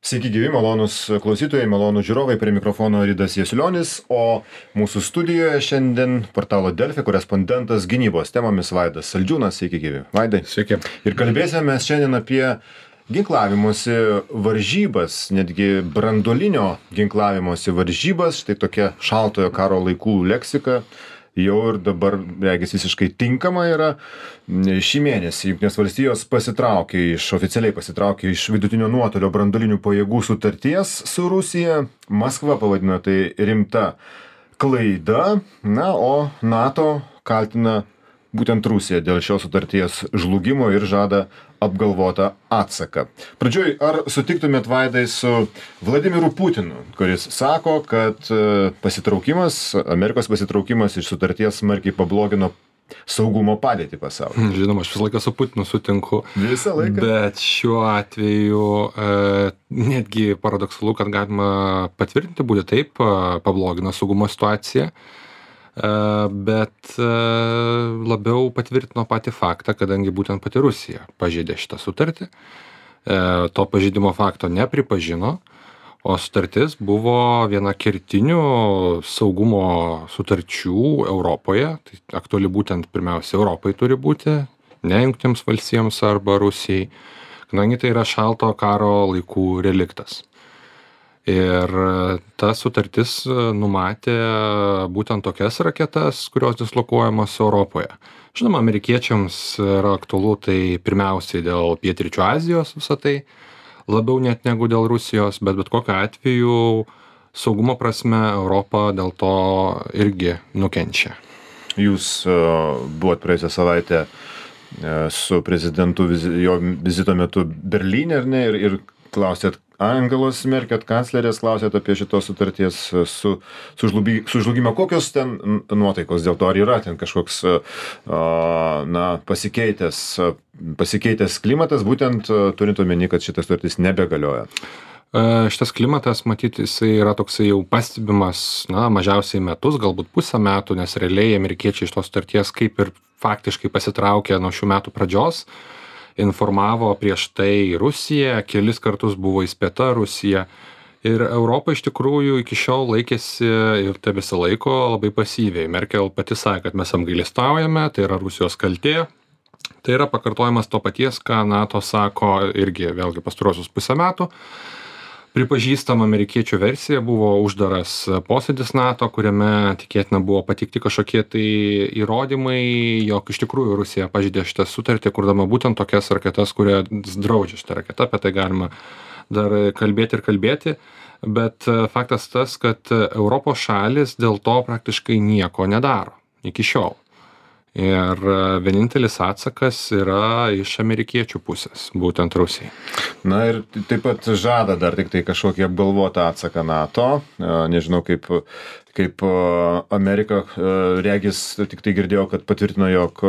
Sveiki gyvi, malonūs klausytojai, malonūs žiūrovai, prie mikrofono Ridas Jasilionis, o mūsų studijoje šiandien portalo Delfi korespondentas gynybos temomis Vaidas Saldžiūnas. Sveiki gyvi, Vaidai. Sveiki. Ir kalbėsime mes šiandien apie ginklavimosi varžybas, netgi branduolinio ginklavimosi varžybas, štai tokia šaltojo karo laikų leksika. Jau ir dabar, regis, visiškai tinkama yra. Šį mėnesį Jungtinės valstijos oficialiai pasitraukė iš vidutinio nuotolio branduolinių pajėgų sutarties su Rusija. Maskva pavadino tai rimta klaida, o NATO kaltina būtent Rusiją dėl šios sutarties žlugimo ir žada apgalvotą atsaką. Pradžioj, ar sutiktumėt, Vaidai, su Vladimiru Putinu, kuris sako, kad Amerikos pasitraukimas iš sutarties smarkiai pablogino saugumo padėtį pasaulyje? Žinoma, aš visą laiką su Putinu sutinku. Visą laiką? Bet šiuo atveju netgi paradoksalu, kad galima patvirtinti būti taip, pablogino saugumo situaciją. Bet labiau patvirtino patį faktą, kadangi būtent pati Rusija pažeidė šitą sutartį. To pažeidimo fakto nepripažino, o sutartis buvo viena kertinių saugumo sutarčių Europoje. Tai aktuali būtent pirmiausia Europai turi būti, ne Jungtinėms valstijoms arba Rusijai, kadangi tai yra šalto karo laikų reliktas. Ir ta sutartis numatė būtent tokias raketas, kurios dislokuojamos Europoje. Žinoma, amerikiečiams yra aktualu tai pirmiausiai dėl Pietryčių Azijos visą tai, labiau net negu dėl Rusijos, bet kokiu atveju saugumo prasme Europa dėl to irgi nukenčia. Jūs buvot praėjusią savaitę su prezidentu jo vizito metu Berlyne, ar ne, ir klausėt Angelos Merkel, kanclerės, klausėt apie šitos sutarties sužlugimą. Kokios ten nuotaikos dėl to? Ar yra ten kažkoks pasikeitęs klimatas, būtent turint omeny, kad šitas sutartis nebegalioja? Šitas klimatas, matyt, jisai yra toksai jau pastebimas, mažiausiai metus, galbūt pusę metų, nes realiai amerikiečiai iš tos sutarties kaip ir faktiškai pasitraukė nuo šių metų pradžios. Informavo prieš tai Rusija, kelis kartus buvo įspėta Rusija. Ir Europa iš tikrųjų iki šiol laikėsi ir tebesilaiko labai pasyviai. Merkel pati sakė, kad mes apgailestaujame, tai yra Rusijos kaltė. Tai yra pakartojimas to paties, ką NATO sako irgi vėlgi pastaruosius pusę metų. Pripažįstama amerikiečių versija, buvo uždaras posėdis NATO, kuriame tikėtina buvo pateikti kažkokie tai įrodymai, jog iš tikrųjų Rusija pažeidė šitą sutartį, kurdama būtent tokias raketas, kurie draudžia šitą raketą, apie tai galima dar kalbėti, bet faktas tas, kad Europos šalis dėl to praktiškai nieko nedaro iki šiol. Ir vienintelis atsakas yra iš amerikiečių pusės, būtent Rusijai. Na ir taip pat žada dar tik tai kažkokį apgalvotą atsaką NATO. Nežinau, kaip Amerika, regis, tik tai girdėjau, kad patvirtino, jog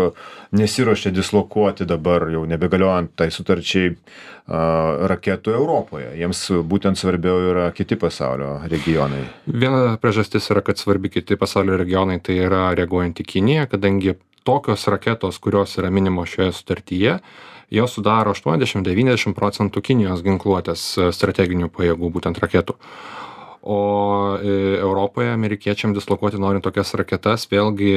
nesiruošia dislokuoti dabar jau nebegaliojant tai sutarčiai raketų Europoje. Jiems būtent svarbiau yra kiti pasaulio regionai. Viena priežastis yra, kad svarbi kiti pasaulio regionai, tai yra reaguojant į Kiniją, kadangi tokios raketos, kurios yra minimos šioje sutartyje, jos sudaro 80-90% Kinijos ginkluotės strateginių pajėgų, būtent raketų. O Europoje amerikiečiam dislokuoti norint tokias raketas, vėlgi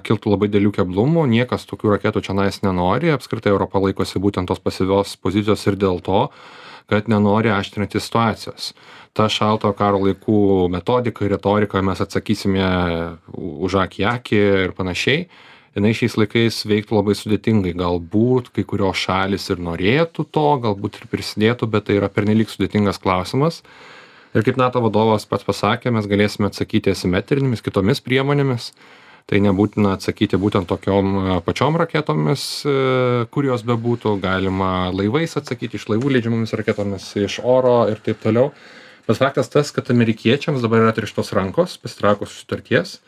kiltų labai didelių keblumų, niekas tokių raketų čionais nenori, apskritai Europa laikosi būtent tos pasyvios pozicijos ir dėl to, kad nenori aštrinti situacijos. Ta šalto karo laikų metodika ir retorika, mes atsakysime už akį ir panašiai, jinai šiais laikais veiktų labai sudėtingai. Galbūt kai kurios šalis ir norėtų to, galbūt ir prisidėtų, bet tai yra pernelyg sudėtingas klausimas. Ir kaip NATO vadovas pats pasakė, mes galėsime atsakyti asimetrinėmis kitomis priemonėmis. Tai nebūtina atsakyti būtent tokiom pačiom raketomis, kurios bebūtų. Galima laivais atsakyti, iš laivų leidžiamomis raketomis, iš oro ir taip toliau. Bet faktas tas, kad amerikiečiams dabar yra atrištos rankos, pasitraukus sutarties.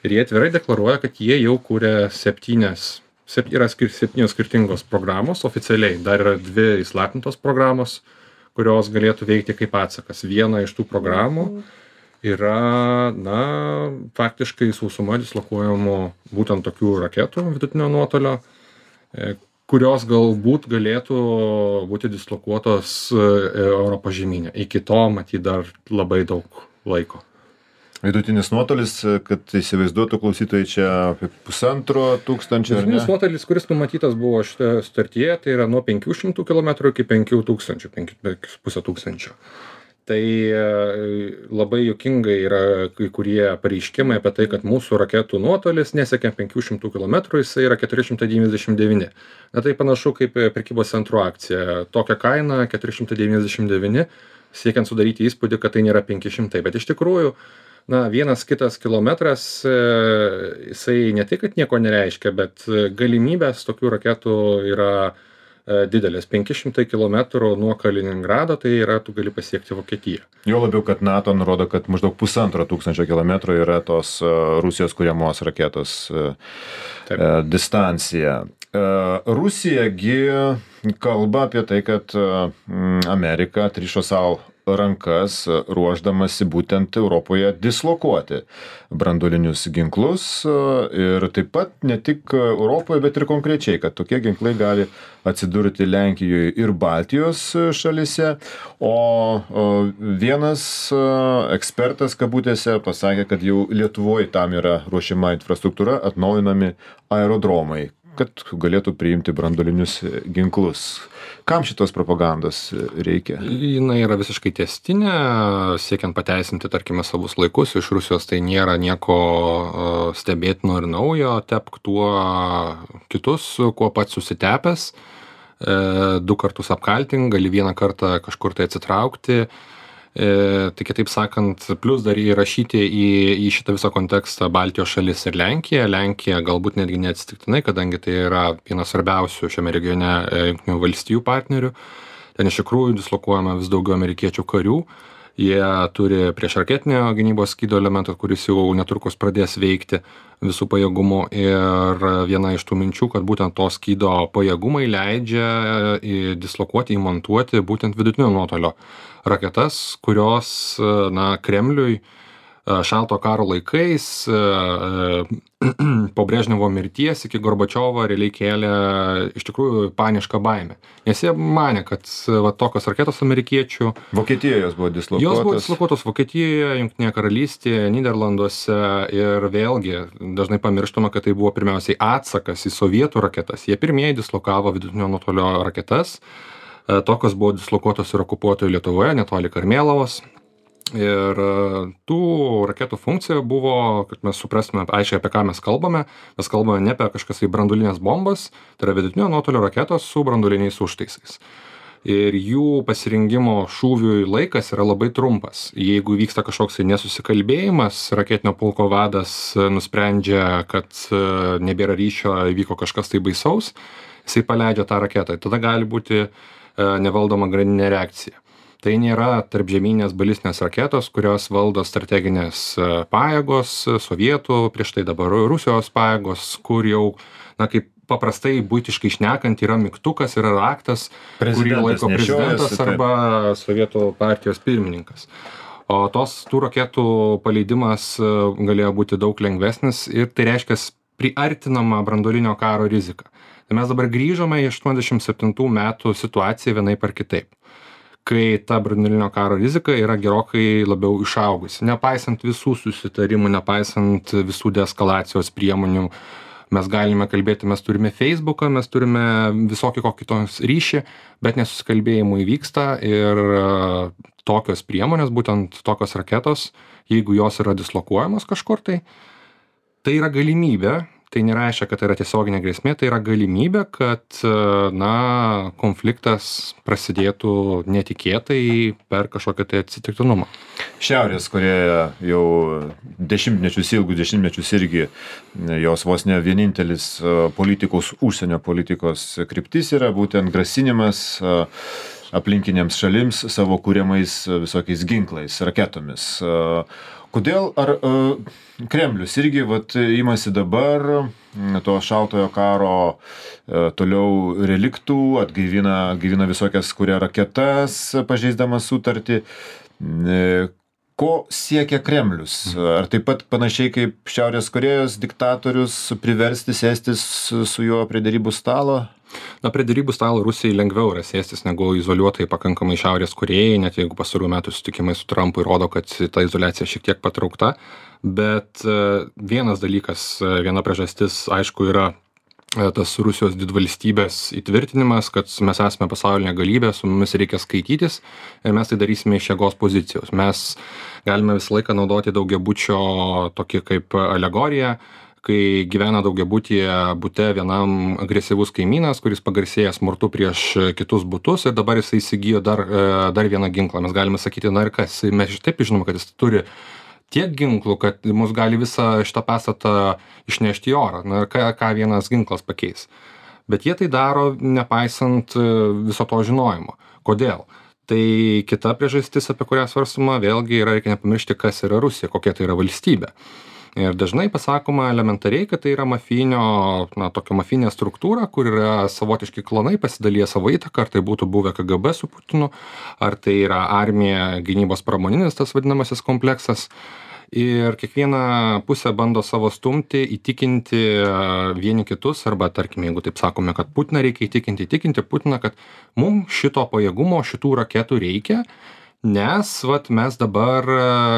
Ir jie atvirai deklaruoja, kad jie jau kūrė septynios skirtingos programos oficialiai. Dar yra 2 įslaptintos programos, kurios galėtų veikti kaip atsakas. Viena iš tų programų yra, faktiškai sausuma dislokuojamų būtent tokių raketų vidutinio nuotolio, kurios galbūt galėtų būti dislokuotos Europos žemyne. Iki to matyt dar labai daug laiko. Vidutinis nuotolis, kad įsivaizduotų klausytojai, čia apie 1500, ar ne? Vidutinis nuotolis, kuris numatytas buvo šitoje sutartyje, tai yra nuo 500 km iki 5000, 5500. Tai labai juokingai yra kai kurie pareiškimai apie tai, kad mūsų raketų nuotolis nesiekia 500 km, jisai yra 499. Na tai panašu kaip prekybos centrų akcija. Tokia kaina 499, siekiant sudaryti įspūdį, kad tai nėra 500. Bet iš tikrųjų, vienas kitas kilometras, jisai ne tik, kad nieko nereiškia, bet galimybės tokių raketų yra didelės. 500 km nuo Kaliningrado, tai yra, tu gali pasiekti Vokietiją. Jo labiau, kad NATO nurodo, kad maždaug 1500 kilometrų yra tos Rusijos kuriamos raketos distancija. Rusijagi kalba apie tai, kad Amerika atrišo savo rankas, ruošdamasi būtent Europoje dislokuoti branduolinius ginklus ir taip pat ne tik Europoje, bet ir konkrečiai, kad tokie ginklai gali atsidurti Lenkijoje ir Baltijos šalyse, o vienas ekspertas kabutėse pasakė, kad jau Lietuvoje tam yra ruošiama infrastruktūra, atnaujinami aerodromai, kad galėtų priimti branduolinius ginklus. Kam šitos propagandos reikia? Jinai yra visiškai tęstinė, siekiant pateisinti, tarkime, savus laikus. Iš Rusijos tai nėra nieko stebėtino ir naujo. Tepk tuo kitus, kuo pats susitepęs. 2 kartus apkaltink, gali 1 kartą kažkur tai atsitraukti. Tai kitaip sakant, plus dar įrašyti į šitą visą kontekstą Baltijos šalis ir Lenkija. Lenkija galbūt netgi neatsitiktinai, kadangi tai yra vienas svarbiausių šiame regione Jungtinių valstijų partnerių. Ten iš tikrųjų dislokuojama vis daugiau amerikiečių karių. Jie turi priešraketinio gynybos skydo elementą, kuris jau netrukus pradės veikti visų pajėgumų. Ir viena iš tų minčių, kad būtent to skydo pajėgumai leidžia dislokuoti, įmontuoti būtent vidutinio nuotolio raketas, kurios Kremliui šalto karo laikais po Brežnevo mirties iki Gorbačiovo realiai kėlė iš tikrųjų panišką baimę. Nes jie manė, kad tokios raketos amerikiečių... Vokietijoje jos buvo dislokuotos. Jos buvo dislokuotos Vokietijoje, Jungtinėje karalystėje, Nyderlanduose ir vėlgi dažnai pamirštama, kad tai buvo pirmiausiai atsakas į sovietų raketas. Jie pirmieji dislokavo vidutinio nuotolio raketas. Tokios buvo dislokuotos ir okupuotoje Lietuvoje, netoli Karmėlavos. Ir tų raketų funkcija buvo, kad mes suprastume aiškiai, apie ką mes kalbame. Mes kalbame ne apie kažkas tai branduolinės bombas, tai yra vidutinio nuotolio raketos su branduoliniais užtaisais. Ir jų pasirinkimo šūviui laikas yra labai trumpas. Jeigu vyksta kažkoks nesusikalbėjimas, raketinio pulko vadas nusprendžia, kad nebėra ryšio, įvyko kažkas tai baisaus, jisai paleidžia tą raketą. Tada gali būti nevaldoma grandininė reakcija. Tai nėra tarpžemynės balistinės raketos, kurios valdo strateginės pajėgos, sovietų, prieš tai dabar Rusijos pajėgos, kur jau, kaip paprastai buitiškai šnekant, yra mygtukas, yra raktas, kurį laiko prezidentas arba sovietų partijos pirmininkas. O tų raketų paleidimas galėjo būti daug lengvesnis ir tai reiškia priartinama branduolinio karo rizika. Tai mes dabar grįžome į 87 metų situaciją vienaip ar kitaip, kai ta branduolinio karo rizika yra gerokai labiau išaugusi. Nepaisant visų susitarimų, nepaisant visų deeskalacijos priemonių, mes galime kalbėti, mes turime Facebooką, mes turime visokį kokį tos ryšį, bet nesusikalbėjimų įvyksta ir tokios priemonės, būtent tokios raketos, jeigu jos yra dislokuojamos kažkur, tai yra galimybė. Tai nereiškia, kad tai yra tiesioginė grėsmė, tai yra galimybė, kad konfliktas prasidėtų netikėtai per kažkokią tai atsitiktinumą. Šiaurės Korėja jau ilgus dešimtmečius irgi jos vos ne vienintelis užsienio politikos kryptis yra būtent grasinimas aplinkinėms šalims savo kuriamais visokiais ginklais, raketomis. Kodėl Kremlius irgi imasi dabar to šaltojo karo toliau reliktų, atgaivina visokias kuria raketas, pažeisdamas sutartį. Ko siekia Kremlius? Ar taip pat panašiai kaip Šiaurės Korėjos diktatorius priversti sėstis su juo prie derybų stalo? Na, prie derybų stalo Rusijai lengviau yra sėstis negu izoliuotai pakankamai Šiaurės Korėjai, net jeigu pastarųjų metų susitikimai su Trumpu įrodo, kad ta izoliacija šiek tiek patraukta. Bet vienas dalykas, viena priežastis, aišku, yra tas Rusijos didvalstybės įtvirtinimas, kad mes esame pasaulinė galybė, su mumis reikia skaitytis ir mes tai darysime iš jėgos pozicijos. Mes galime visą laiką naudoti daugiabučio tokį kaip alegoriją, kai gyvena daugiabutyje bute vienam agresyvus kaimynas, kuris pagarsėja smurtu prieš kitus butus ir dabar jisai įsigijo dar vieną ginklą. Mes galime sakyti, na ir kas, mes taip žinome, kad jis turi tiek ginklų, kad mus gali visą šitą pastatą išnešti į orą. Na ir ką vienas ginklas pakeis. Bet jie tai daro nepaisant viso to žinojimo. Kodėl? Tai kita priežastis, apie kurią svarstama, vėlgi reikia nepamiršti, kas yra Rusija, kokia tai yra valstybė. Ir dažnai pasakoma elementariai, kad tai yra tokia mafijinė struktūra, kur yra savotiški klanai, pasidalyja savo įtaką, ar tai būtų buvę KGB su Putinu, ar tai yra armija, gynybos pramoninis tas vadinamasis kompleksas. Ir kiekviena pusė bando savo stumti, įtikinti vieni kitus, arba tarkim, jeigu taip sakome, kad Putiną reikia įtikinti Putiną, kad mums šito pajėgumo, šitų raketų reikia, nes mes dabar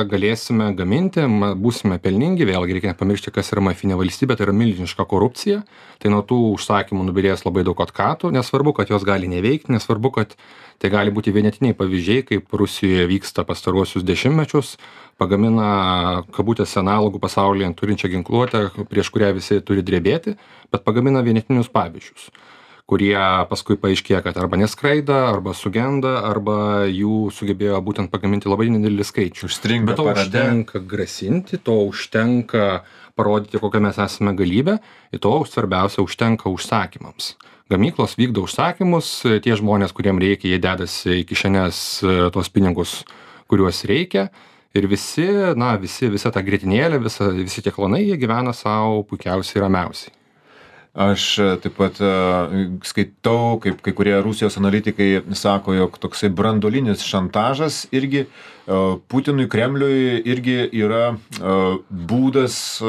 galėsime gaminti, būsime pelningi, vėlgi reikia nepamiršti, kas yra mafijinė valstybė, tai yra milžiniška korupcija, tai nuo tų užsakymų nubyrės labai daug atkatų, nesvarbu, kad jos gali neveikti, nesvarbu, kad tai gali būti vienetiniai pavyzdžiai, kaip Rusijoje vyksta pastaruosius dešimtmečius, pagamina kabutėse analogų pasaulyje turinčią ginkluotę, prieš kurią visi turi drebėti, bet pagamina vienetinius pavyzdžius, kurie paskui paaiškėja, kad arba neskraida, arba sugenda, arba jų sugebėjo būtent pagaminti labai nedidelį skaičių. Bet to užtenka grasinti, to užtenka parodyti, kokią mes esame galybę, ir to svarbiausia užtenka užsakymams. Gamyklos vykdo užsakymus, tie žmonės, kuriem reikia, jie dedasi į kišenes tuos pinigus, kuriuos reikia, ir visa ta grietinėlė, visi tie klanai, jie gyvena savo puikiausiai ramiausiai. Aš taip pat skaitau, kaip kai kurie Rusijos analitikai sako, jog toksai branduolinis šantažas irgi Putinui, Kremliui irgi yra būdas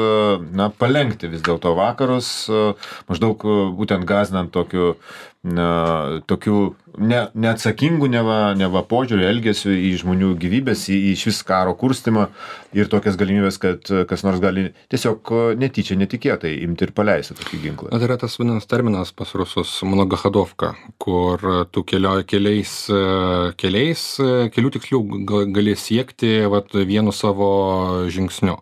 palenkti vis dėlto vakarus, maždaug būtent gąsdinant tokiu neatsakingų neva požiūrį, elgesių į žmonių gyvybės, į šis karo kurstymą ir tokias galimybės, kad kas nors gali tiesiog netyčia, netikėtai imti ir paleisti tokį ginklą. Tai yra tas vadinamas terminas pas rusus mnogohodovka, kur tu kelių tikslių gali siekti vienu savo žingsniu.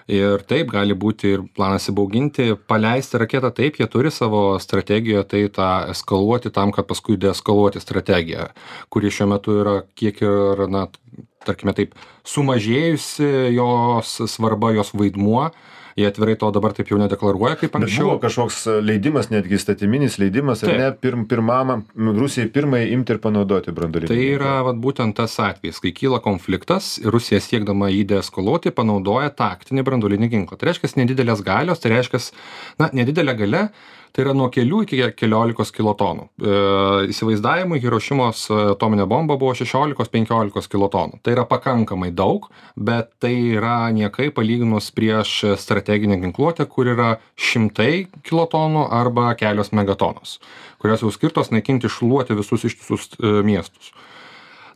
Ir taip gali būti ir planas įbauginti, paleisti raketą, taip, jie turi savo strategiją, tai tą eskaluoti tam, kad paskui deeskaluoti strategiją, kuri šiuo metu yra kiek ir, tarkime taip, sumažėjusi jos svarba, jos vaidmuo. Jie atvirai to dabar taip jau nedeklaruoja kaip anksčiau. Bet buvo kažkoks leidimas, netgi įstatyminis leidimas, ar ne, Rusijai pirmai imti ir panaudoti branduolinį ginklą. Tai yra būtent tas atvejis, kai kyla konfliktas, Rusija siekdama jį deeskaluoti panaudoja taktinį branduolinį ginklą. Tai reiškia nedidelės galios, tai reiškia, nedidelė galia, tai yra nuo kelių iki 15 kilotonų. Įsivaizdavimui Hirošimos atominė bomba buvo 16-15 kilotonų. Tai yra pakankamai daug, bet tai yra niekai palyginus prieš strateginę ginkluotę, kur yra 100 kilotonų arba kelios megatonos, kurios jau skirtos naikinti, šluoti visus ištisus miestus.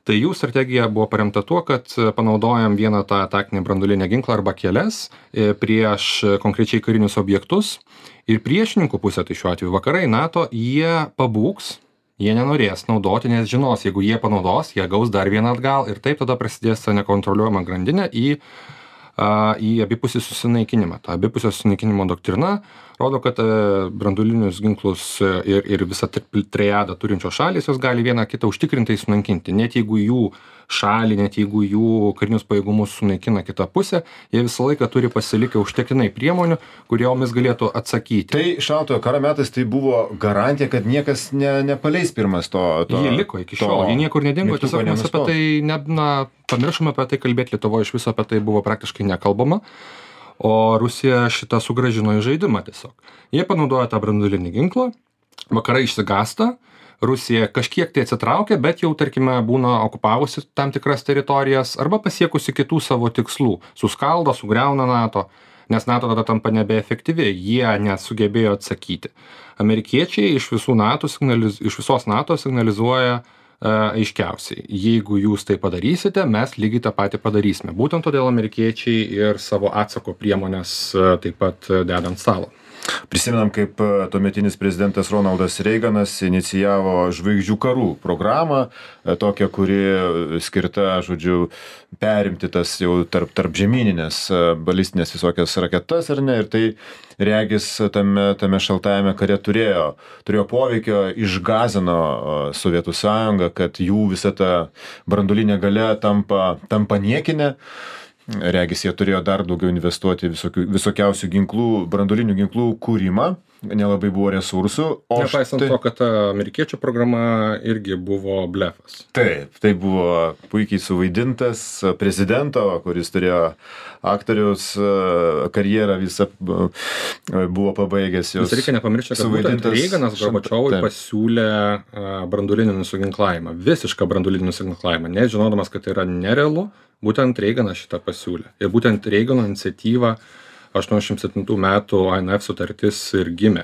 Tai jų strategija buvo paremta tuo, kad panaudojam vieną tą taktinį branduolinį ginklą arba kelias prieš konkrečiai karinius objektus ir priešininkų pusė, tai šiuo atveju vakarai, NATO, jie pabūgs, jie nenorės naudoti, nes žinos, jeigu jie panaudos, jie gaus dar vieną atgal ir taip tada prasidės ta nekontroliuojama grandinė į abipusį susinaikinimą. Ta abipusio susinaikinimo doktrina rodo, kad branduolinius ginklus ir visą triadą turinčios šalys, jos gali vieną kitą užtikrintai sunaikinti. Net jeigu jų šalį, net jeigu jų karinius pajėgumus sunaikina kita pusė, jie visą laiką turi pasilikę užtektinai priemonių, kuriomis galėtų atsakyti. Tai šaltojo karo metais tai buvo garantija, kad niekas nepaleis pirmas to. Jie liko iki šiol, jie niekur nedingo, tiesiog mes apie tai pamiršome apie tai kalbėti, Lietuvoje iš viso apie tai buvo praktiškai nekalbama, o Rusija šitą sugrąžino į žaidimą tiesiog. Jie panaudojo tą branduolinį ginklą, vakarai išsigąsta, Rusija kažkiek tai atsitraukia, bet jau, tarkime, būna okupavusi tam tikras teritorijas arba pasiekusi kitų savo tikslų, suskaldo, sugriauna NATO, nes NATO tada tampa nebeefektyvi, jie nesugebėjo atsakyti. Amerikiečiai iš visos NATO signalizuoja aiškiausiai, jeigu jūs tai padarysite, mes lygiai tą patį padarysime. Būtent todėl amerikiečiai ir savo atsako priemonės taip pat deda ant stalo. Prisimenam, kaip tuometinis prezidentas Ronaldas Reiganas inicijavo žvaigždžių karų programą, tokią, kuri skirta, žodžiu, perimti tas jau tarp žemyninės balistinės visokias raketas, ar ne, ir tai regis tame šaltajame kare turėjo poveikio, išgąsdino Sovietų sąjungą, kad jų visa ta branduolinė galia tampa niekinė. Regis jie turėjo dar daugiau investuoti visokiausių ginklų, branduolinių ginklų kūrimą, nelabai buvo resursų. Nepaisant to, kad ta amerikiečių programa irgi buvo blefas. Taip, tai buvo puikiai suvaidintas prezidento, kuris turėjo aktoriaus karjerą visą buvo pabaigęs jos. Reikia nepamiršti, kad būtent Reiganas Gorbačiovui pasiūlė branduolinį nusiginklavimą, visišką branduolinį nusiginklavimą, net žinodamas, kad tai yra nerealu. Būtent Reiganas šitą pasiūlė. Ir būtent Reigano iniciatyva 87 metų INF sutartis ir gimė.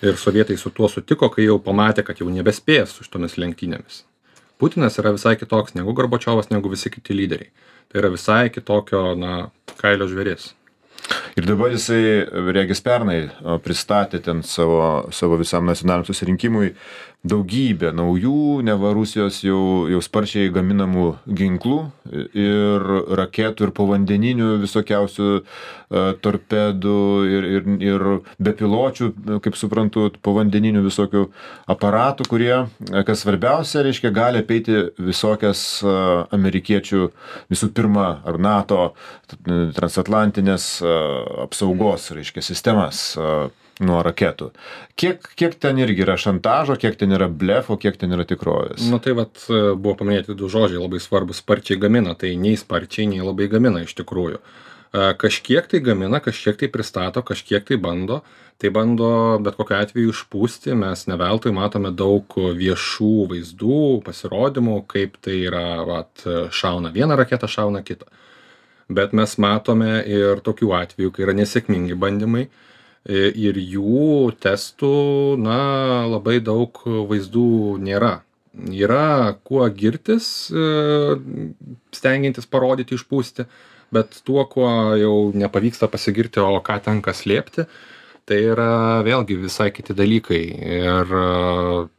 Ir sovietai su tuo sutiko, kai jau pamatė, kad jau nebespės su šitomis lenktynėmis. Putinas yra visai kitoks negu Gorbačiovas, negu visi kiti lyderiai. Tai yra visai kitokio, kailio žvėris. Ir dabar jisai, regis pernai, pristatė ten savo visam nacionaliniam susirinkimui daugybę naujų, neva Rusijos jau sparčiai gaminamų ginklų ir raketų ir povandeninių visokiausių torpedų ir bepiločių, kaip suprantu, povandeninių visokių aparatų, kurie, kas svarbiausia, reiškia, gali apeiti visokias amerikiečių, visų pirma, ar NATO transatlantinės apsaugos, reiškia, sistemas nuo raketų. Kiek ten irgi yra šantažo, kiek ten yra blefo, kiek ten yra tikrovės? Tai buvo paminėti du žodžiai labai svarbus, sparčiai gamina, tai nei sparčiai, nei labai gamina iš tikrųjų. Kažkiek tai gamina, kažkiek tai pristato, kažkiek tai bando bet kokiu atveju išpūsti, mes ne veltui matome daug viešų vaizdų, pasirodymų, kaip tai yra, šauna vieną raketą, šauna kitą. Bet mes matome ir tokių atvejų, kai yra nesėkmingi bandymai, ir jų testų, labai daug vaizdų nėra. Yra kuo girtis, stengiantis parodyti, išpūsti, bet tuo, kuo jau nepavyksta pasigirti, o ką tenka slėpti, tai yra vėlgi visai kiti dalykai. Ir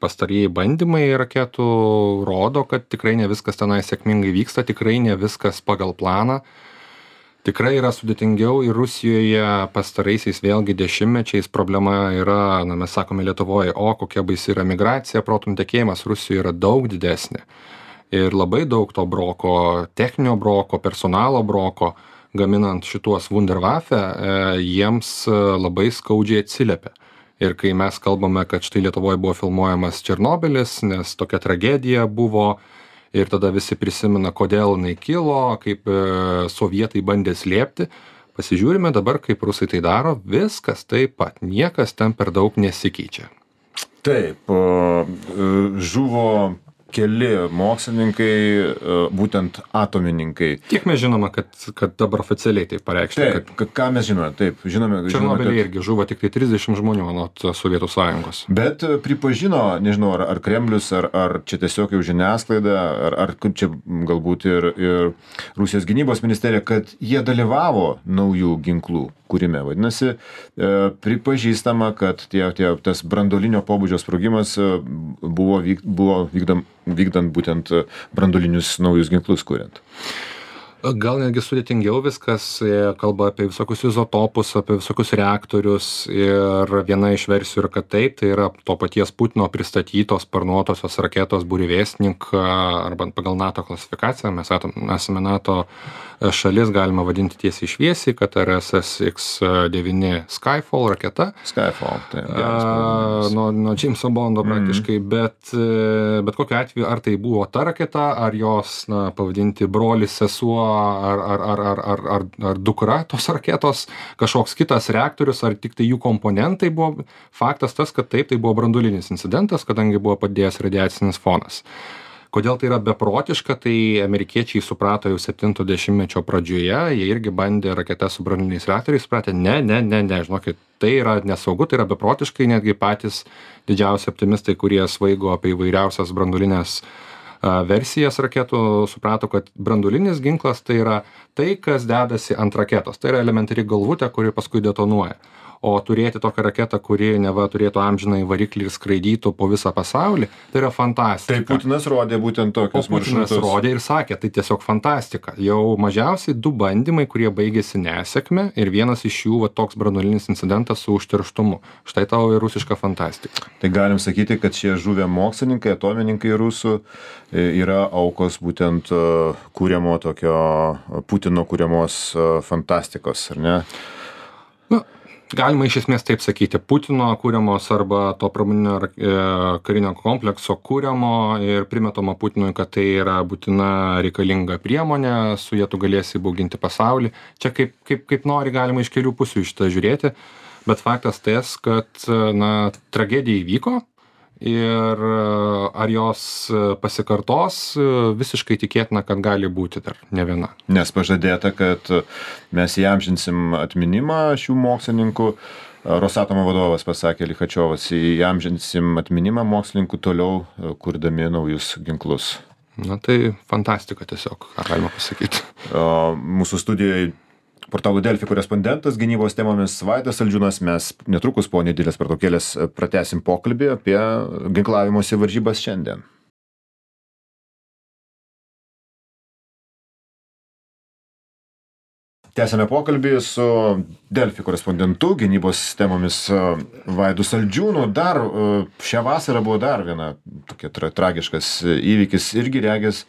pastarieji bandymai raketų rodo, kad tikrai ne viskas tenai sėkmingai vyksta, tikrai ne viskas pagal planą. Tikrai yra sudėtingiau ir Rusijoje pastaraisiais vėlgi dešimtmečiais problema yra, mes sakome Lietuvoje, kokia baisi yra migracija, protų nutekėjimas Rusijoje yra daug didesnė. Ir labai daug to broko, techninio broko, personalo broko, gaminant šituos Wunderwaffe, jiems labai skaudžiai atsiliepia. Ir kai mes kalbame, kad štai Lietuvoje buvo filmuojamas Černobylis, nes tokia tragedija buvo, ir tada visi prisimena, kodėl jinai kilo, kaip sovietai bandė slėpti. Pasižiūrime dabar, kaip rusai tai daro, viskas taip pat, niekas ten per daug nesikeičia. Taip, žuvo keli mokslininkai, būtent atomininkai. Kiek mes žinome, kad dabar oficialiai tai pareikšta? Taip, ką mes žinome? Taip, žinome, Černobylį irgi žuvo tik tai 30 žmonių nuo Sovietų sąjungos. Bet pripažino, nežinau, ar Kremlius, ar čia tiesiog jau žiniasklaida, ar čia galbūt ir Rusijos gynybos ministerija, kad jie dalyvavo naujų ginklų kūrime. Vadinasi, pripažįstama, kad tas branduolinio pobūdžio sprogimas buvo vykdant būtent branduolinius naujus ginklus kuriant. Gal netgi sudėtingiau viskas, kalba apie visokius izotopus, apie visokius reaktorius ir viena iš versijų yra, kad taip, tai yra to paties Putino pristatytos sparnuotosios raketos Burevestnik arba pagal NATO klasifikaciją, mes esame NATO šalis, galima vadinti tiesiai šviesiai, kad RSS-X9 Skyfall raketa. Skyfall, tai nuo Jameso Bondo praktiškai, bet kokiu atveju, ar tai buvo ta raketa, ar jos, pavadinti brolis, sesuo, ar dukra tos raketos, kažkoks kitas reaktorius, ar tik tai jų komponentai buvo. Faktas tas, kad taip, tai buvo branduolinis incidentas, kadangi buvo padėjęs radiacinis fonas. Kodėl tai yra beprotiška, tai amerikiečiai suprato jau 70-mečio pradžioje, jie irgi bandė raketas su branduoliniais reaktoriais, supratė, ne, žinokit, tai yra nesaugu, tai yra beprotiškai, netgi patys didžiausi optimistai, kurie svaigo apie įvairiausias branduolinės versijas raketų, suprato, kad branduolinis ginklas tai yra tai, kas dedasi ant raketos. Tai yra elementari galvutė, kuri paskui detonuoja. O turėti tokią raketą, kuri neva turėtų amžinai variklį ir skraidytų po visą pasaulį, tai yra fantastika. Tai Putinas rodė būtent tokius maršrutus. Putinas rodė ir sakė, tai tiesiog fantastika. Jau mažiausiai 2 bandymai, kurie baigėsi nesėkme ir vienas iš jų toks branduolinis incidentas su užterštumu. Štai tau ir rusiška fantastika. Tai galim sakyti, kad šie žuvę mokslininkai, atomininkai rusų yra aukos būtent kūriamo tokio Putino kūriamos fantastikos, ar ne? Galima iš esmės taip sakyti, Putino kūriamos arba to pramoninio karinio komplekso kūriamo ir primetama Putinui, kad tai yra būtina reikalinga priemonė, su jie tu galėsi įbauginti pasaulį. Čia kaip nori galima iš kelių pusių iš tą žiūrėti, bet faktas tas, kad tragedija įvyko ir ar jos pasikartos, visiškai tikėtina, kad gali būti dar ne viena. Nes pažadėta, kad mes įamžinsim atminimą šių mokslininkų. Rosatomo vadovas pasakė, Lichačiovas, įamžinsim atminimą mokslininkų toliau kurdami naujus ginklus. Na tai fantastika tiesiog, ką galima pasakyti. Mūsų studijoje portalų Delfi korespondentas gynybos temomis Vaidas Saldžiūnas. Mes netrukus po nedidelės pertraukėlės pratęsim pokalbį apie ginklavimosi varžybas šiandien. Tęsame pokalbį su Delfi korespondentu gynybos temomis Vaidu Saldžiūnu. Dar šią vasarą buvo dar viena tokia tragiškas įvykis, irgi regis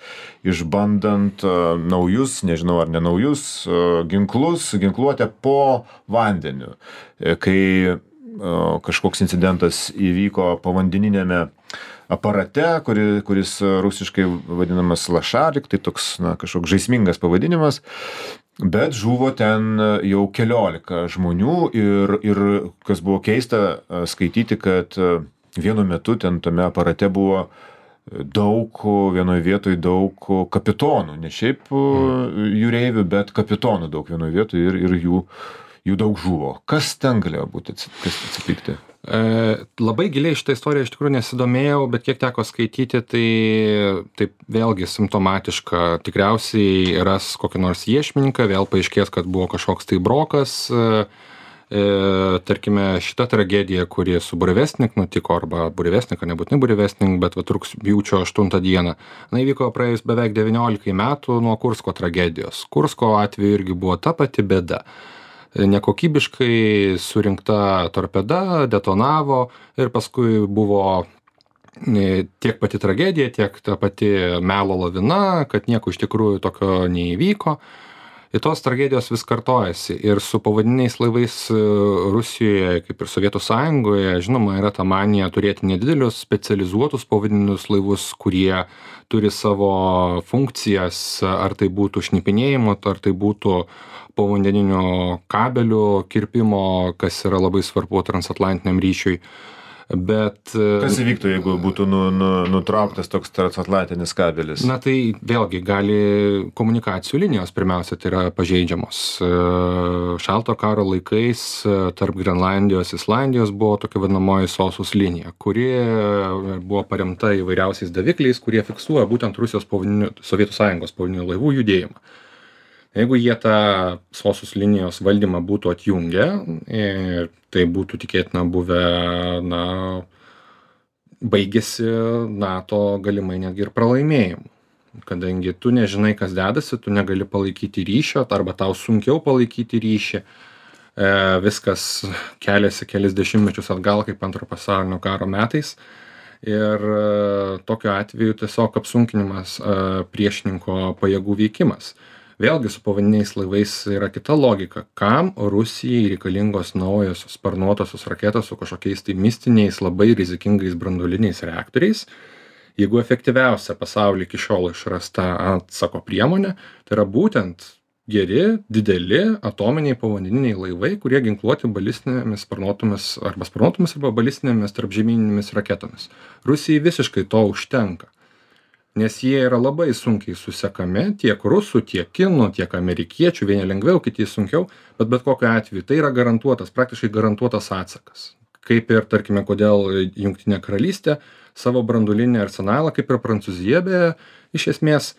išbandant naujus, nežinau ar ne naujus, ginklus, ginkluotę po vandeniu. Kai kažkoks incidentas įvyko povandeninėme aparate, kuris rusiškai vadinamas Lašarik, tai toks kažkoks žaismingas pavadinimas. Bet žuvo ten jau 14 žmonių ir kas buvo keista skaityti, kad vienu metu ten tame aparate buvo vienoje vietoje daug kapitonų, ne šiaip jūreivių, bet kapitonų daug vienoje vietoje ir jų daug žuvo. Kas ten galėjo būti, kas atsitikti? Labai giliai šitą istoriją iš tikrųjų nesidomėjau, bet kiek teko skaityti, tai taip vėlgi simptomatiška. Tikriausiai ras kokį nors iešmininką, vėl paaiškės, kad buvo kažkoks tai brokas. Tarkime, šita tragedija, kuri su Burevestnik nutiko, arba Burevestnik, nebūtinai Burevestnik, bet rugpjūčio 8 dieną, įvyko praėjus beveik 19 metų nuo Kursko tragedijos. Kursko atveju irgi buvo ta pati bėda. Nekokybiškai surinkta torpeda detonavo ir paskui buvo tiek pati tragedija, tiek ta pati melo lavina, kad nieko iš tikrųjų tokio neįvyko. Ir tos tragedijos vis kartojasi. Ir su povandeniniais laivais Rusijoje, kaip ir Sovietų Sąjungoje, žinoma, yra ta manija turėti nedidelius specializuotus povandeninius laivus, kurie turi savo funkcijas, ar tai būtų šnipinėjimo, ar tai būtų povandeninių kabelių kirpimo, kas yra labai svarbu transatlantiniam ryšiui. Bet kas įvyktų, jeigu būtų nutrauktas toks transatlantinis kabelis? Na tai vėlgi gali komunikacijų linijos pirmiausia tai yra pažeidžiamos. Šalto karo laikais tarp Grenlandijos, Islandijos buvo tokia vadinamoji SOSUS linija, kuri buvo paremta įvairiausiais davikliais, kurie fiksuoja būtent Rusijos Sovietų Sąjungos povandeninių laivų judėjimą. Jeigu jie tą SOSUS linijos valdymą būtų atjungę, tai būtų tikėtina buvę, baigėsi NATO galimai netgi ir pralaimėjimu. Kadangi tu nežinai, kas dedasi, tu negali palaikyti ryšio, arba tau sunkiau palaikyti ryšį, viskas keliasi kelis dešimtmečius atgal, kaip Antrojo pasaulinio karo metais. Ir tokiu atveju tiesiog apsunkinimas priešininko pajėgų veikimas. Vėlgi su povandeniniais laivais yra kita logika. Kam Rusijai reikalingos naujosios sparnuotosios raketos su kažkokiais tai mistiniais, labai rizikingais branduoliniais reaktoriais, jeigu efektyviausia pasaulyje iki šiol išrasta atsako priemonė, tai yra būtent geri, dideli atominiai povandeniniai laivai, kurie ginkluoti balistinėmis sparnuotomis arba balistinėmis tarpžemyninėmis raketomis. Rusijai visiškai to užtenka. nes jie yra labai sunkiai susekami, tiek rusų, tiek kinų, tiek amerikiečių, vieni lengviau, kiti sunkiau, bet kokiu atveju tai yra garantuotas, praktiškai garantuotas atsakas. Kaip ir, tarkime, kodėl Jungtinė karalystė savo branduolinį arsenalą, kaip ir Prancūzija, beje, iš esmės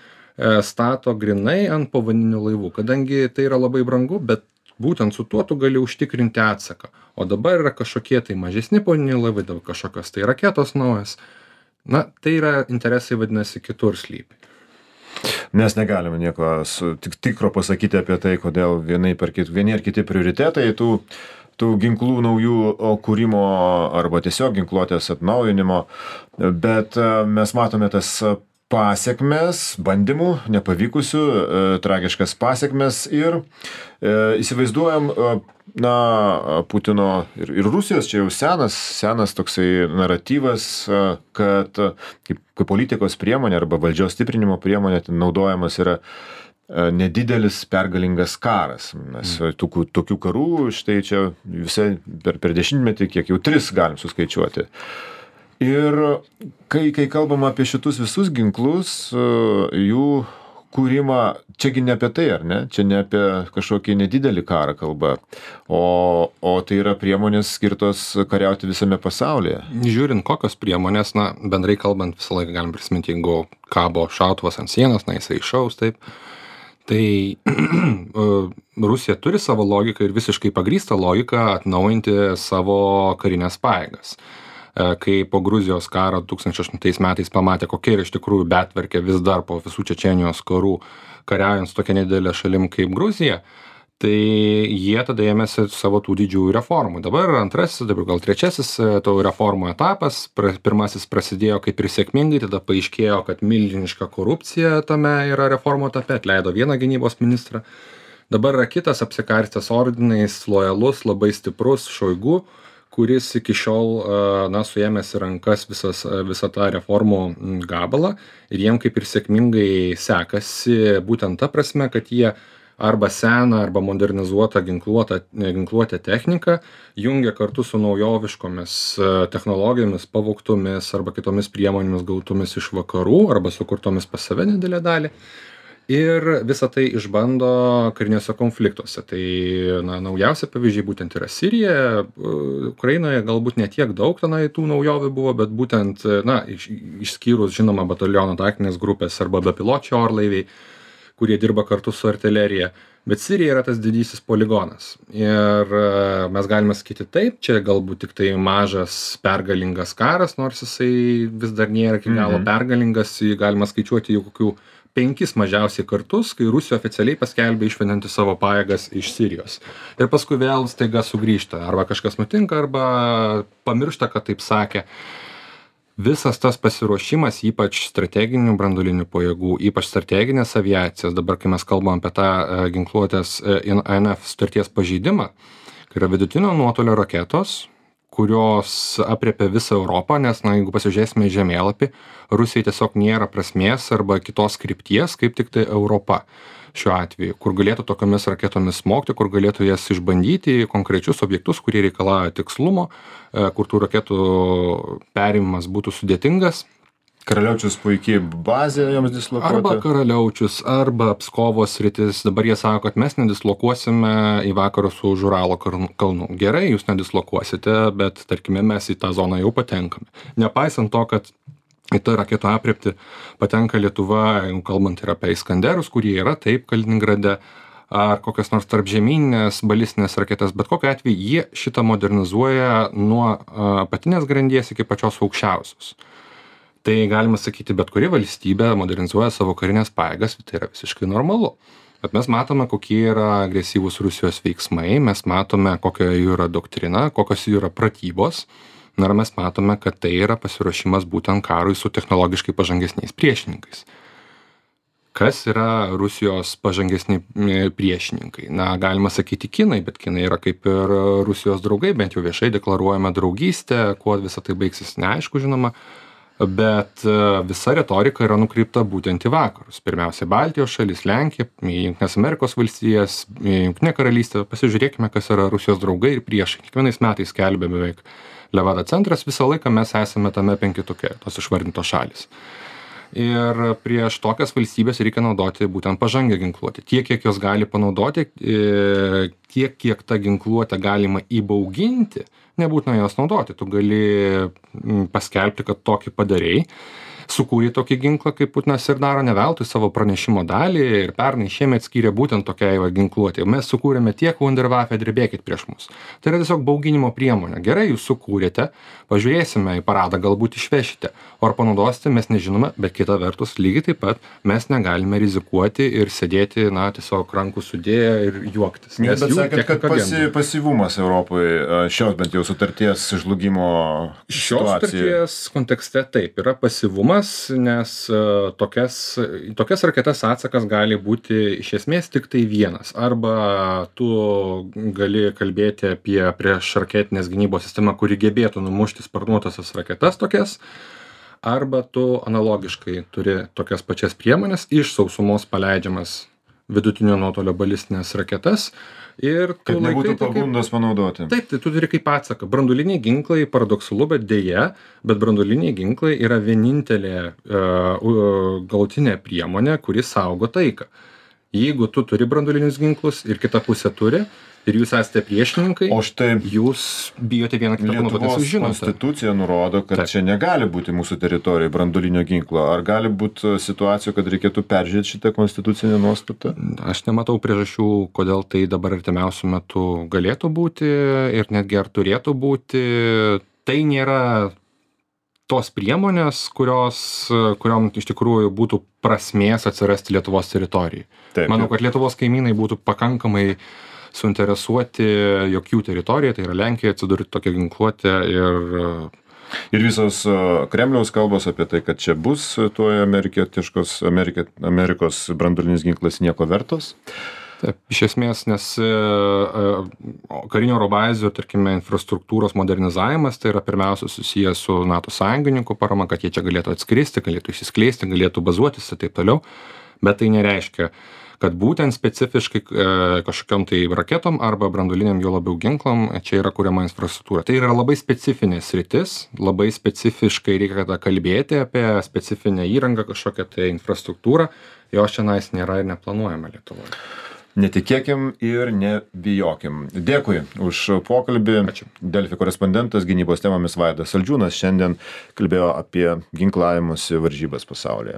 stato grinai ant povandeninių laivų, kadangi tai yra labai brangu, bet būtent su tuo tu gali užtikrinti atsaką. O dabar yra kažkokie tai mažesni povandeniniai laivai, dabar kažkokios tai raketos naujas. Na, tai yra interesai, vadinasi, kitur slypi. Mes negalime nieko tikro pasakyti apie tai, kodėl vieni ar kiti prioritetai tų ginklų naujų kūrimo arba tiesiog ginkluotės atnaujinimo, bet mes matome tas pasekmes, bandymų, nepavykusių, tragiškas pasekmes ir įsivaizduojam, Putino ir Rusijos čia jau senas toksai naratyvas, kad kaip politikos priemonė arba valdžios stiprinimo priemonė naudojamas yra nedidelis pergalingas karas. Nes tokių karų, štai čia visai per dešimtmetį, kiek jau 3 galim suskaičiuoti. Ir kai kalbam apie šitus visus ginklus, jų kūrimą, čiagi ne apie tai, ar ne? Čia ne apie kažkokį nedidelį karą kalba, o tai yra priemonės skirtos kariauti visame pasaulyje. Žiūrint, kokios priemonės, bendrai kalbant, visą laiką galim prisiminti, jeigu kabo šautuvas ant sienos, jisai iššaus, taip. Tai Rusija turi savo logiką ir visiškai pagrįstą logiką atnaujinti savo karinės pajėgas. Kai po Gruzijos karo 2008 metais pamatė, kokia yra iš tikrųjų betvarkė vis dar po visų Čečėnijos karų kariaujant su tokia nedidelė šalim kaip Gruzija, tai jie tada ėmėsi savo tų didžiųjų reformų. Dabar antrasis, dabar gal trečiasis to reformų etapas. Pirmasis prasidėjo kaip ir sėkmingai, tada paaiškėjo, kad milžiniška korupcija tame yra reformų etape, atleido vieną gynybos ministrą. Dabar yra kitas apsikarstęs ordinais, lojalus, labai stiprus Šoigu, kuris iki šiol suėmęs į rankas visą tą reformų gabalą ir jiem kaip ir sėkmingai sekasi būtent ta prasme, kad jie arba seną, arba modernizuotą ginkluotę techniką jungia kartu su naujoviškomis technologijomis, pavogtomis arba kitomis priemonėmis gautomis iš vakarų arba sukurtomis pas save didelę dalį. Ir visą tai išbando kariniuose konfliktuose. Tai naujausia pavyzdžiai būtent yra Sirija, Ukrainoje galbūt ne tiek daug tenai tų naujovių buvo, bet būtent, išskyrus žinoma bataliono taktinės grupės arba bepiločiai orlaiviai, kurie dirba kartu su artilerija. Bet Sirija yra tas didysis poligonas. Ir mes galime sakyti taip, čia galbūt tik tai mažas pergalingas karas, nors jisai vis dar nėra iki galo pergalingas, jį galima skaičiuoti jau kokių 5 mažiausiai kartus, kai Rusija oficialiai paskelbė išvedinti savo pajėgas iš Sirijos. Ir paskui vėl staiga sugrįžta. Arba kažkas nutinka, arba pamiršta, kad taip sakė. Visas tas pasiruošimas, ypač strateginių branduolinių pajėgų, ypač strateginės aviacijos, dabar kai mes kalbam apie tą ginkluotės INF sutarties pažeidimą, kai yra vidutinio nuotolio raketos, kurios aprėpia visą Europą, nes, jeigu pasižiūrėsime į žemėlapį, Rusijai tiesiog nėra prasmės arba kitos krypties, kaip tik tai Europa šiuo atveju, kur galėtų tokiamis raketomis smogti, kur galėtų jas išbandyti konkrečius objektus, kurie reikalauja tikslumo, kur tų raketų perėmimas būtų sudėtingas. Karaliaučius puikiai bazė joms dislokuota. Arba Karaliaučius, arba Pskovo sritis. Dabar jie sako, kad mes nedislokuosime į vakarus už Uralo kalnų. Gerai, jūs nedislokuosite, bet tarkime mes į tą zoną jau patenkame. Nepaisant to, kad į tą raketų aprėpti patenka Lietuva, kalbant ir apie Iskanderus, kurie yra taip Kaliningrade, ar kokias nors tarpžemyninės balistinės raketas, bet kokiu atveju jie šitą modernizuoja nuo apatinės grandies iki pačios aukščiausios. Tai galima sakyti, bet kuri valstybė modernizuoja savo karinės pajėgas, tai yra visiškai normalu. Bet mes matome, kokie yra agresyvūs Rusijos veiksmai, mes matome, kokia jų yra doktrina, kokios jų yra pratybos, ir mes matome, kad tai yra pasiruošimas būtent karui su technologiškai pažangesniais priešininkais. Kas yra Rusijos pažangesni priešininkai? Galima sakyti kinai, bet kinai yra kaip ir Rusijos draugai, bent jau viešai deklaruojama draugystė, kuo visą tai baigsis neaišku, žinoma. Bet visa retorika yra nukreipta būtent į vakarus. Pirmiausia, Baltijos šalis, Lenkija, Jungtinės Amerikos valstijas, Jungtinė karalystė. Pasižiūrėkime, kas yra Rusijos draugai ir priešai. Kiekvienais metais skelbia beveik Levada centras. Visą laiką mes esame tame 5-tuke, tos išvardintos šalis. Ir prieš tokias valstybės reikia naudoti būtent pažangią ginkluotę. Tiek, kiek jos gali panaudoti, tiek, kiek tą ginkluotę galima įbauginti, nebūtina jos naudoti. Tu gali paskelbti, kad tokį padarei, sukūrė tokį ginklą, kaip Putinas ir daro, ne veltui savo pranešimo dalį ir pernai šiemet skyrė būtent tokiai ginkluotei. Mes sukūrėme tiek Wunderwaffe, drebėkit prieš mus. Tai yra tiesiog bauginimo priemonė. Gerai, jūs sukūrėte, pažiūrėsime į paradą, galbūt išvešite. O ar panaudosite, mes nežinome, bet kita vertus, lygiai taip pat mes negalime rizikuoti ir sėdėti, tiesiog rankų sudėję ir juoktis. Bet sakėt, kad pasyvumas Europoje šios bent jau sutarties žlugimo šios sutarties kontekste taip yra pasyvumas, nes tokias raketas atsakas gali būti iš esmės tik tai vienas. Arba tu gali kalbėti apie priešraketinės gynybos sistemą, kuri gebėtų numušti sparnuotasias raketas tokias, arba tu analogiškai turi tokias pačias priemonės iš sausumos paleidžiamas vidutinio nuotolio balistinės raketas. Ir kad nebūtų pagundos panaudoti. Taip, tai tu turi kaip atsaką. Branduoliniai ginklai, paradoksalu, bet deja, bet branduoliniai ginklai yra vienintelė galutinė priemonė, kuri saugo taiką. Jeigu tu turi branduolinius ginklus ir kita pusė turi, ir jūs esate priešininkai, o štai jūs bijote vieną kitą panaudoti, nes jūs žinote. Konstitucija nurodo, kad čia negali būti mūsų teritorijoje branduolinio ginklo. Ar gali būti situacijų, kad reikėtų peržiūrėti šitą konstitucinę nuostatą? Aš nematau priežasčių, kodėl tai dabar artimiausiu metu galėtų būti ir netgi ar turėtų būti. Tai nėra tos priemonės, kuriom iš tikrųjų būtų prasmės atsirasti Lietuvos teritorijai. Manau, kad Lietuvos kaimynai būtų pakankamai suinteresuoti, jog jų teritorija, tai yra Lenkija, atsidurti tokią ginkluotę ir visos Kremliaus kalbos apie tai, kad čia bus tuoj Amerikos branduolinis ginklas nieko vertos. Taip, iš esmės, nes karinio oro bazių, tarkime, infrastruktūros modernizavimas, tai yra pirmiausia susijęs su NATO sąjungininkų parama, kad jie čia galėtų atskristi, galėtų išsiskleisti, galėtų bazuotis ir taip toliau, bet tai nereiškia, kad būtent specifiškai kažkokiam tai raketom arba branduoliniam jo labiau ginklam čia yra kuriama infrastruktūra. Tai yra labai specifinė sritis, labai specifiškai reikia kalbėti apie specifinę įrangą, kažkokią tai infrastruktūrą, jos šiandien nėra ir neplanuojama Lietuvoje. Netikėkim ir nebijokim. Dėkui už pokalbį. Ačiū. Delfi korespondentas gynybos temomis Vaidas Saldžiūnas šiandien kalbėjo apie ginklavimosi varžybas pasaulyje.